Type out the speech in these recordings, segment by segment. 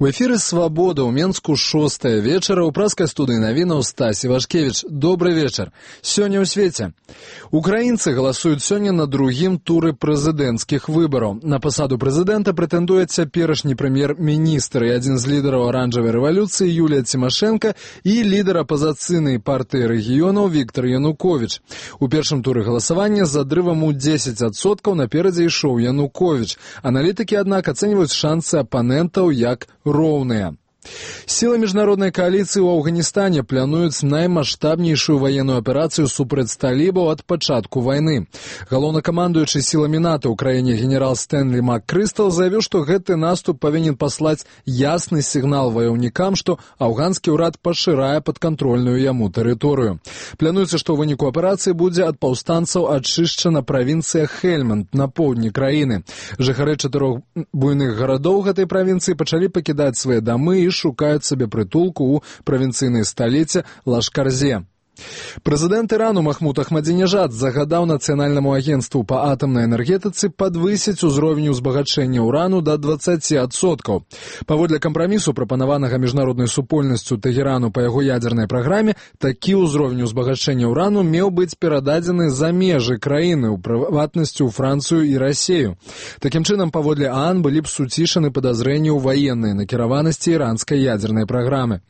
У эфіры «Свабода» ў Менску 6 вечара ў праскай студыі навінаў Стась Івашкевіч. Добры вечар. Сёння ў свеце. Украінцы галасуюць сёння на другім туры прэзідэнцкіх выбараў. На пасаду прэзідэнта прэтэндуе цяперашні прэм'ер-міністр і адзін з лідараў аранжавай рэвалюцыі Юлія Цімашэнка і лідар апазіцыйнай партыі рэгіёнаў Віктор Януковіч. У першым туры галасавання з адрывам у 10% наперадзе ішоў Януковіч. Аналітыкі, аднак, ацэньваюць шансы апанентаў як роўныя. Сілы міжнароднай кааліцыі ў Афганістане плануюць наймаштабнейшую ваенную аперацыю супраць талібаў ад пачатку вайны. Галоўнакамандуючы сіламі НАТО ў краіне генерал Стэнлі МакКрыстал заявіў, што гэты наступ павінен паслаць ясны сігнал ваяўнікам, што афганскі ўрад пашырае падкантрольную яму тэрыторыю. Плануецца, што ў выніку аперацыі будзе ад паўстанцаў ачышчана правінцыя Хельманд на поўдні краіны. Жыхары 4 буйных гарадоў гэтай правінцыі пачалі пакідаць свае дамы і шукаюць сабе прытулку ў правінцыйнай сталіцы Лашкарзе. Прэзідэнт Ірану Махмуд Ахмадзінежад загадаў Нацыянальнаму агенцтву па атамнай энергетыцы падвысіць узровень узбагачэння ўрану да 20%. Паводле кампрамісу, прапанаванага міжнароднай супольнасцю Тэгерану па яго ядзернай праграме, такі ўзровень узбагачэння ўрану меў быць перададзены за межы краіны, у прыватнасці ў Францыю і Расею. Такім чынам, паводле ААН былі б суцішаны падазрэнні ў ваеннай накіраванасці іранскай ядзернай праграмы.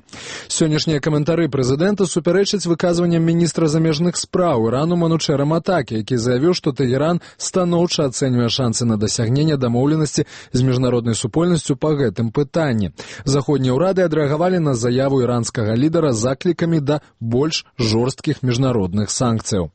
Сённяшнія каментары прэзідэнта супярэчаць выказванням міністра замежных спраў Ірану Манучэра Матакі, які заявіў, што Тэгеран станоўча ацэньвае шансы на дасягненне дамоўленасці з міжнароднай супольнасцю па гэтым пытанні. Заходнія ўрады адрэагавалі на заяву іранскага лідара заклікамі да больш жорсткіх міжнародных санкцыяў.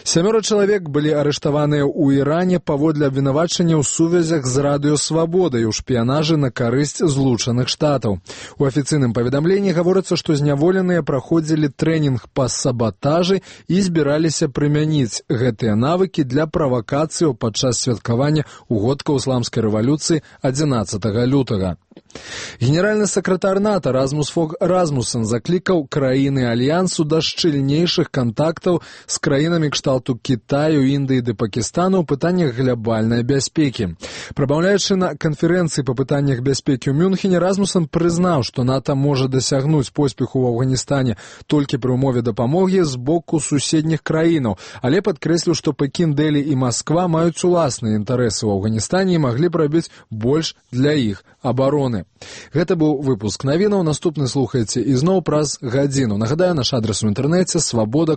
7 чалавек былі арыштаваныя ў Іране паводле абвінавачання ў сувязях з Радыё Свабода і ў шпіянажы на карысць Злучаных Штатаў. У афіцыйным паведамленні гаворыцца, што зняволеныя праходзілі трэнінг па сабатажы і збіраліся прымяніць гэтыя навыкі для правакацыяў падчас святкавання угодкаў ісламскай рэвалюцыі 11 лютага. Генеральны сакратар НАТО Расмус Фог Расмуссен заклікаў краіны альянсу да шчыльнейшых кантактаў з краінамі кшталту Кітаю, Індыі ды Пакістану ў пытаннях глобальнай бяспекі. Прамаўляючы на канферэнцыі па пытаннях бяспекі ў Мюнхене, Расмуссен прызнаў, што НАТО можа дасягнуць поспеху ў Афганістане толькі пры ўмове дапамогі з боку суседніх краінаў, але падкрэсліў, што Пекін, Дэлі і Масква маюць уласныя інтарэсы ў Афганістане і маглі б рабіць больш для іх абароны. Гэта быў выпуск навінаў. Наступны слухайце ізноў праз гадзіну. Нагадаю, наш адрес у інтэрнэце свабода.